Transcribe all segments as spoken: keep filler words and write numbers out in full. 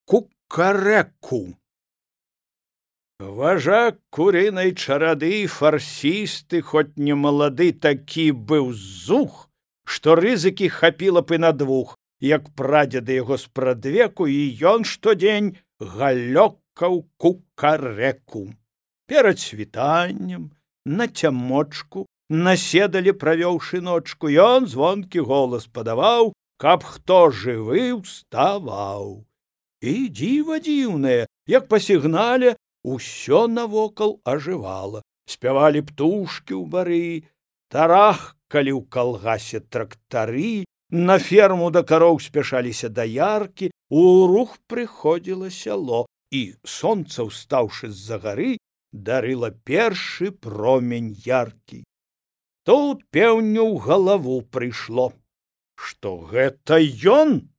кукарэку. Важак курынай чарады, фарсісты, хоць не малады, такі быў зух, што рызыкі хапіла б і на двух, як прадзеды яго спрадвеку, і ён штодзень галёкаў кукарэку. Перад світаннем, на цямочку, наседалі, правёўшы ночку, ён звонкі голас падаваў, каб хто жывы ўставаў. І дзіва дзіўнае, як па сігнале усё навокал ажывала. Спявалі птушкі ў бары, тарахкалі ў калгасе трактары, на ферму да кароў спяшаліся даяркі, у рух прыходзіла сяло, і сонца, ўстаўшы з-за гары, дарыла першы промень яркі. Тут пеўню ў галаву прыйшло, што гэта ён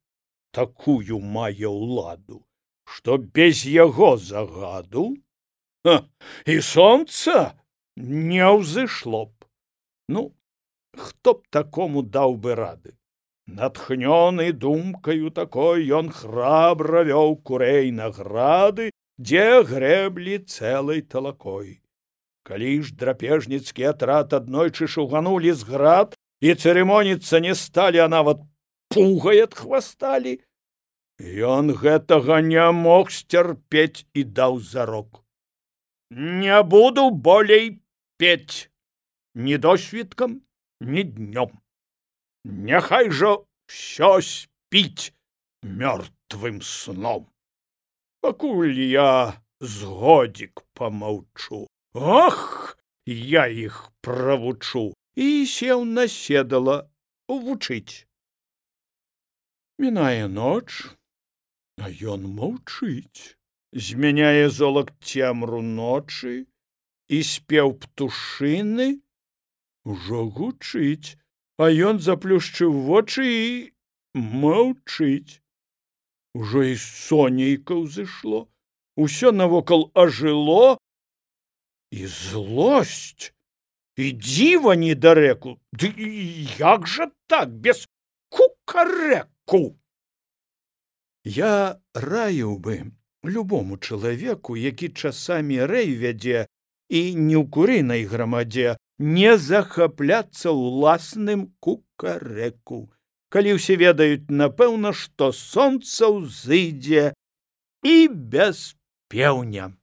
такую мае ўладу, што без яго загаду ха, і сонца не ўзышло б. Ну, хто б такому даў бы рады? Натхнёны думкаю такой, ён храбра вёў курэй на грады, дзе грэблі цэлай талакой. Калі ж драпежніцкі атрад аднойчы шуганулі з град і цырымоніцца не сталі, а нават пугай адхвасталі, ён гэтага не мог сцярпець і даў зарок: не буду болей пець ні досвіткам, ні днём. Няхай жа ўсё спіць мёртвым сном. Пакуль я з годзік памаўчу, ох, я іх правучу, і сеў на седала вучыць. Мінае ноч, а ён маўчыць, змяняе золак цемру ночы, і спеў птушыны ужо гучыць, а ён заплюшчыў вочы і маўчыць. Ужо і сонейка ўзышло, усё навокал ажыло, і злосць, і дзіва недарэку. Ды як жа так, без кукарэку? Я раіў бы любому чалавеку, які часамі рэй вядзе і не ў курынай грамадзе, не захапляцца ўласным кукарэку, калі ўсе ведаюць, напэўна, што сонца ўзыдзе і без пеўня.